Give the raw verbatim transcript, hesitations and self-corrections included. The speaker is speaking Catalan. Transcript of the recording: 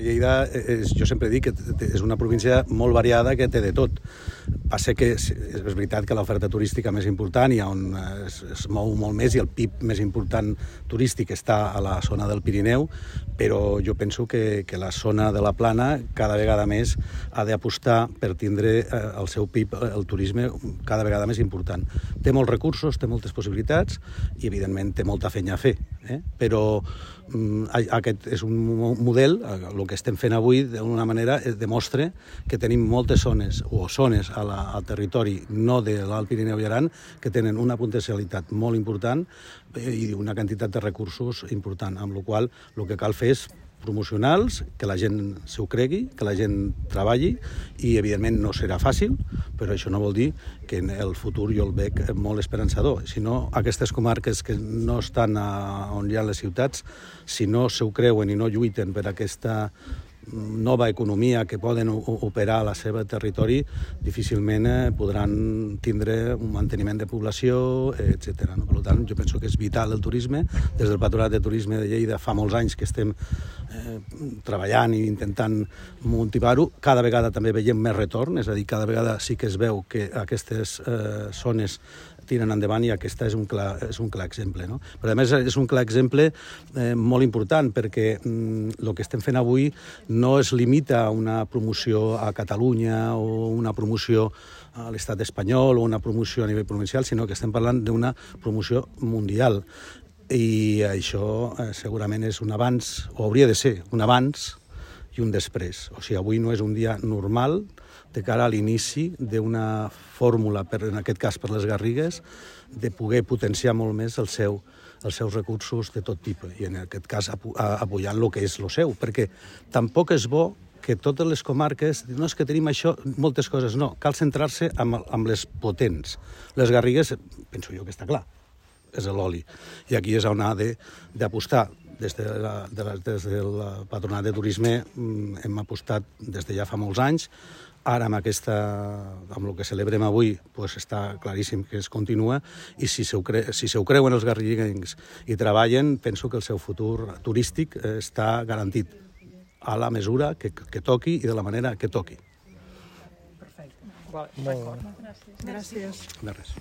Lleida, és, jo sempre dic que és una província molt variada que té de tot. Passa que és veritat que l'oferta turística més important i on es, es mou molt més i el P I B més important turístic està a la zona del Pirineu, però jo penso que, que la zona de la Plana cada vegada més ha d'apostar per tindre el seu P I B, el turisme, cada vegada més important. Té molts recursos, té moltes possibilitats i, evidentment, té molta feina a fer. Eh? Però um, aquest és un model, el que estem fent avui, d'una manera, demostra que tenim moltes zones, o zones a la, al territori no de l'Alt Pirineu i Aran, que tenen una potencialitat molt important i una quantitat de recursos important, amb la qual cosa el que cal fer és promocionals, que la gent s'ho cregui, que la gent treballi i, evidentment, no serà fàcil, però això no vol dir que en el futur jo el veig molt esperançador. Si no, aquestes comarques que no estan a, on hi ha les ciutats, si no s'ho creuen i no lluiten per aquesta nova economia que poden operar a la seva territori, difícilment podran tindre un manteniment de població, etcètera. Per tant, jo penso que és vital el turisme. Des del Patronat de Turisme de Lleida fa molts anys que estem eh, treballant i intentant motivar-ho. Cada vegada també veiem més retorn, és a dir, cada vegada sí que es veu que aquestes eh, zones tiren endavant i aquesta és un clar, és un clar exemple. No? Però a més és un clar exemple eh, molt important perquè mm, el que estem fent avui no es limita a una promoció a Catalunya o una promoció a l'estat espanyol o una promoció a nivell provincial, sinó que estem parlant d'una promoció mundial. I això eh, segurament és un abans, o hauria de ser un abans i un després. O sigui, avui no és un dia normal de cara a l'inici d'una fórmula, per, en aquest cas per les Garrigues, de poder potenciar molt més el seu, els seus recursos de tot tipus, i en aquest cas apoyant el que és el seu, perquè tampoc és bo que totes les comarques, no és que tenim això, moltes coses, no, cal centrar-se amb, amb les potents. Les Garrigues, penso jo que està clar, és l'oli, i aquí és on ha d'apostar. Des, de la, de la, des del Patronat de Turisme hem apostat des de ja fa molts anys. Ara, amb, aquesta, amb el que celebrem avui, pues està claríssim que es continua i si se ho, cre, si se ho creuen els garriguencs i treballen, penso que el seu futur turístic està garantit a la mesura que, que toqui i de la manera que toqui. Perfecte. D'acord. Gràcies. Gràcies. De res.